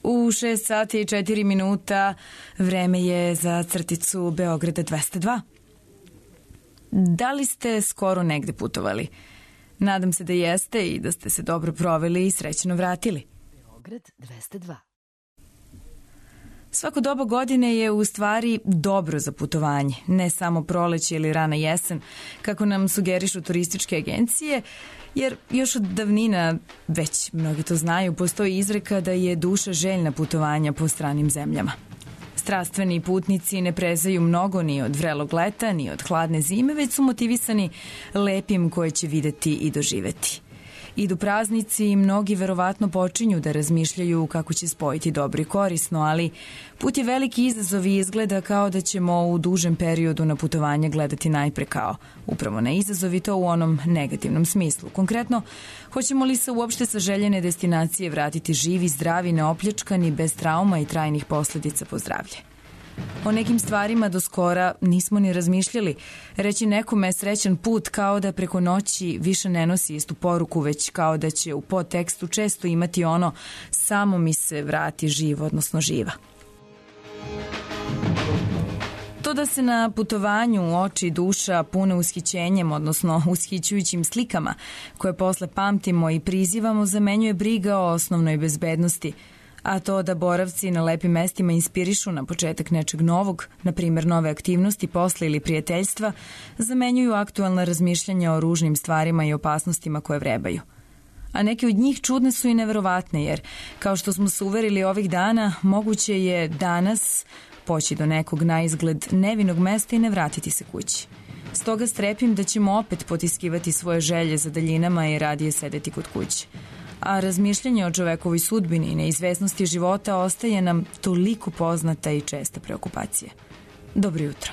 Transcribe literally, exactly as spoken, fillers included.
U šest sati i četiri minuta vreme je za crticu Beograda dvesta dva. Da li ste skoro negde putovali? Nadam se da jeste i da ste se dobro proveli i srećno vratili. Beograd dvesta dva. Svako doba godine je u stvari dobro za putovanje, ne samo proleće ili rana jesen, kako nam sugerišu turističke agencije, jer još od davnina, već mnogi to znaju, postoji izreka da je duša željna putovanja po stranim zemljama. Strastveni putnici ne prezaju mnogo ni od vrelog leta, ni od hladne zime, već su motivisani lepim koje će videti i doživeti. Idu praznici i mnogi verovatno počinju da razmišljaju kako će spojiti dobro i korisno, ali put je veliki izazov i izgleda kao da ćemo u dužem periodu na putovanje gledati najpre kao upravo na izazov i to u onom negativnom smislu. Konkretno, hoćemo li se uopšte sa željene destinacije vratiti živi, zdravi, neopljačkani, bez trauma i trajnih posledica po zdravlje? O nekim stvarima do skora nismo ni razmišljali. Reći nekome srećan put kao da preko noći više ne nosi istu poruku, već kao da će u podtekstu često imati ono samo mi se vrati živ, odnosno živa. To da se na putovanju oči i duša pune ushićenjem, odnosno ushićujućim slikama, koje posle pamtimo i prizivamo, zamenjuje briga o osnovnoj bezbednosti, a to da boravci na lepim mestima inspirišu na početak nečeg novog, na primjer nove aktivnosti, posla ili prijateljstva, zamenjuju aktualna razmišljanja o ružnim stvarima i opasnostima koje vrebaju. A neke od njih čudne su i neverovatne, jer, kao što smo se uverili ovih dana, moguće je danas poći do nekog na izgled nevinog mesta i ne vratiti se kući. Stoga strepim da ćemo opet potiskivati svoje želje za daljinama i radije sedeti kod kuće. A razmišljanje o čovekovoj sudbini i neizvesnosti života ostaje nam toliko poznata i česta preokupacija. Dobro jutro.